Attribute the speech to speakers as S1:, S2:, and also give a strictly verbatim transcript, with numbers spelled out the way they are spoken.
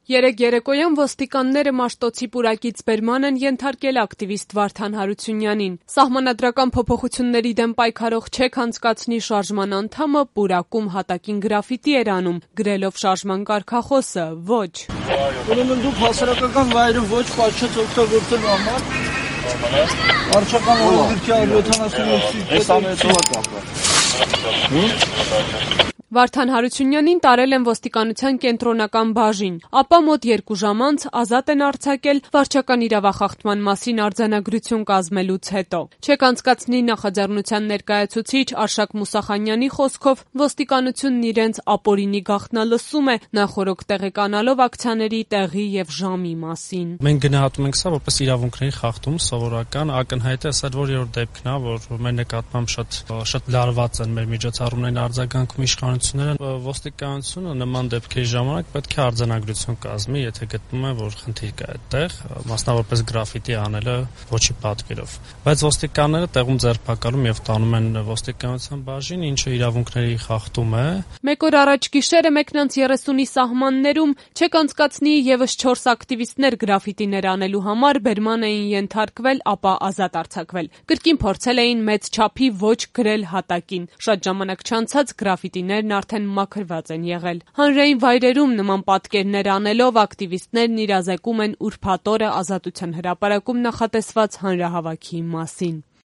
S1: Երեկ երեկոյան ոստիկանները Մաշտոցի պուրակից բերման են ենթարկել ակտիվիստ Վարդան Հարությունյանին։ Սահմանադրական փոփոխությունների դեմ պայքարող «Չեք անցկացնի» շարժման անդամը պուրակում հատակին գրաֆիտի էր անում, գրելով շարժման կարգախոսը՝ ոչ։
S2: Ուրեմն դուք հասարակական վայրը ոչ պատշաճ օգտագործելու համար վարչական օրենսգրքի յոթանասունութ
S1: Վարդան Հարությունյանին տարել են ոստիկանության կենտրոնական բաժին, ապա մոտ երկու ժամ անց ազատ են արձակել վարչական իրավախախտման մասին արձանագրություն կազմելուց հետո։ «Չեք անցկացնի» նախաձեռնության ներկայացուցիչ Արշակ Մուսախանյանի խոսքով ոստիկանությունն իրենց ապօրինի գաղտնալսում է, նախօրոք տեղեկանալով ակցիաների տեղի եւ ժամի մասին։
S3: Մենք գնահատում ենք սա որպես իրավունքների խախտում, սովորական, ակնհայտ է, սա որ-երորդ դեպքն է, որ մեր նկատմամբ շատ շատ լարված են մեր միջոցառումներին արձագանքում իշխանությունները, ոստիկանությունը նման դեպքերի ժամանակ պետք է արձանագրություն կազմի, եթե գտնում է, որ խնդիր կա այդտեղ, մասնավորապես գրաֆիտի անելը ոչի պատկերով։ Բայց ոստիկանները տեղում ձերբակալում եւ տանում են ոստիկանության բաժին, ինչը իրավունքների խախտում է։
S1: Մեկ օր առաջ գիշերը մեկնանց երեսունի սահմաններում «Չեք անցկացնի» եւս չորս ակտիվիստներ գրաֆիտիներ անելու համար բերման էին ենթարկվել, ապա ազատ արձակվել։ Կրկին փորձել էին մեծ չափի ոչ գրել հատակին։ Շատ ժամանակ չանցած գրաֆիտիներն արդեն մաքրված են եղել։ Հանրային վայրերում նման պատկերներ անելով ակտիվիստներն իրազեկում են ուրբաթ օրը Ազատության հրապարակում նախատեսված հանրահավաքի մասին։